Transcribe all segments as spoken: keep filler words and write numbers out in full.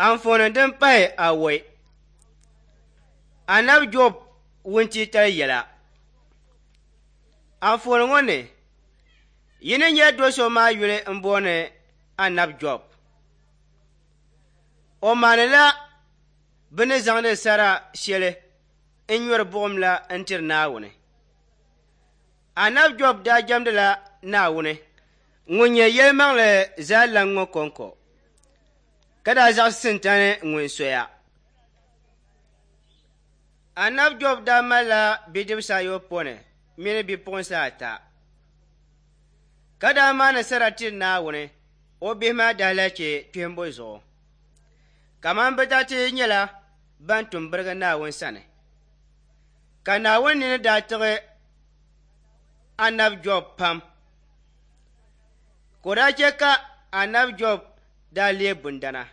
Anfooni din pahi awɔi, Anabi Jɔb wuntitali yɛla. Anfooni ŋɔ ni, yi ni nya do so maa yuli m-booni Anabi Jɔb. O maanila bɛ ni zaŋdi sara shɛli n-nyɔri buɣim la n-tiri Naawuni. Anabi Jɔb daa jɛmdila Naawuni ŋun nyɛ yɛlimaŋli zaa lan ŋɔ kɔŋko, ka daa zaɣisi Sintani ŋun soya. Anabi Jɔb daa malila bidibisi ayopɔin mini bipuɣinsi ata, ka daa maani sara tiri Naawuni o bihi maa daalahichi kpihimbu zuɣu. Kaman bɛ daa ti nyɛla ban tum birigi Naawuni sani. Ka Naawuni nini daa tiɣi Anabi Jɔb pam, ka o daa chɛ ka Anabi Jɔb daa leei bundana,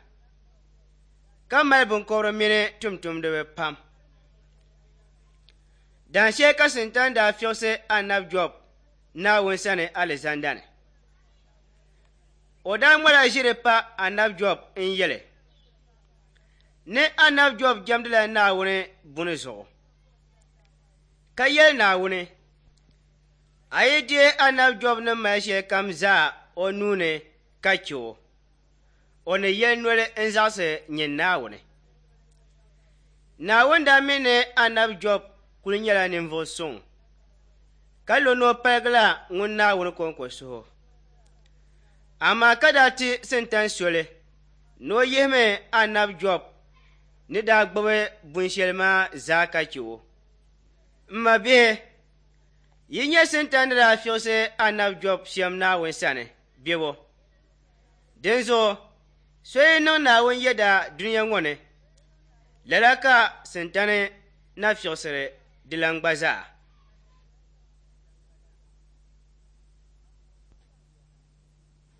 ka mali binkɔbiri mini tumtumdiba pam. Dahinshɛli ka Sintani daa fiɣisi Anabi Jɔb Naawuni sani alizanda ni. O daa ŋmala ʒiri pa Anabi Jɔb n-yɛli ni Anabi Jɔb jɛmdila Naawuni buni zuɣu, ka yɛli Naawuni, a yi deei Anabi Jɔb ni mali shɛlikam zaa o nuu ni ka chɛ o, o ni yɛli noli n-zaɣisi nyin Naawuni. Naawuni daa mi ni Anabi Jɔb kuli nyɛla ninvuɣ suŋ, ka lo ni o paligila ŋun Naawuni kɔŋko suhu. Amaa ka daa ti Sintani soli ni o yihimi Anabi Jɔb ni daa gbubi bun shɛli maa zaa ka chɛ o. M mabihi, yi nya Sintani ni daa fiɣisi Anabi Jɔb shɛm Naawuni sani bebo. Dinzuɣu so yi niŋ Naawuni yɛda dunia ŋɔ ni, lala ka Sintani na fiɣisiri dilan gba zaa.